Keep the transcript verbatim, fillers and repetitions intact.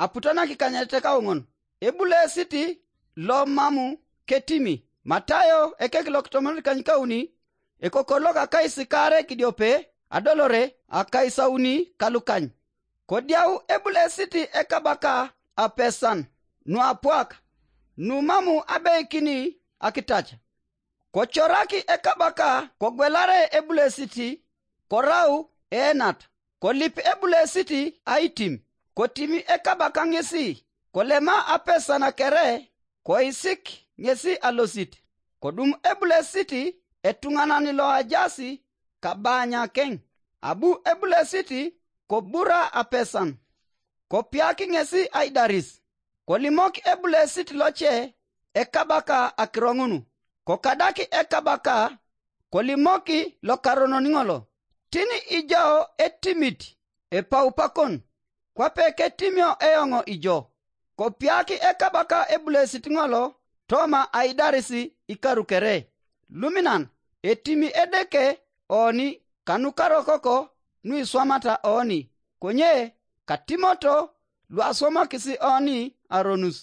aputo nakikanyet kaoŋon. Ebulesit lo mamu ketimi. Matayo ekek lokitomonit kanykauni, ekokor loka kaisikaare kidiope, adolore akaisauni kalukany. Kodiau ebulesit ekabaka apesan nuapwak, numamu abeikini akitach. Kocoraki ekabaka kogwelare ebulesit, korau eenat, kolip ebulesit aitim. Kotimi ekabaka ŋesi, kolema apesan kere, koisik ŋesi alosit. Kodum ebulesit etuŋanan loajaas kabanyakeŋ, abu ebulesit kobura apesan, kopiak ŋesi aidaris. Kolimok ebulesit loce ekabaka akiro ŋun, kokadak ekabaka, kolimok lokaronon ŋolo, tini ijo etimit epaupakon, kwape ketimio eoŋ ijo. Kopiak ekabaka ebulesit ŋolo toma aidaris ikaru kere. Luminan, etimi Edeke oni kanukarokoko nuiswamata oni, konye katimoto luaswamakis oni aronus.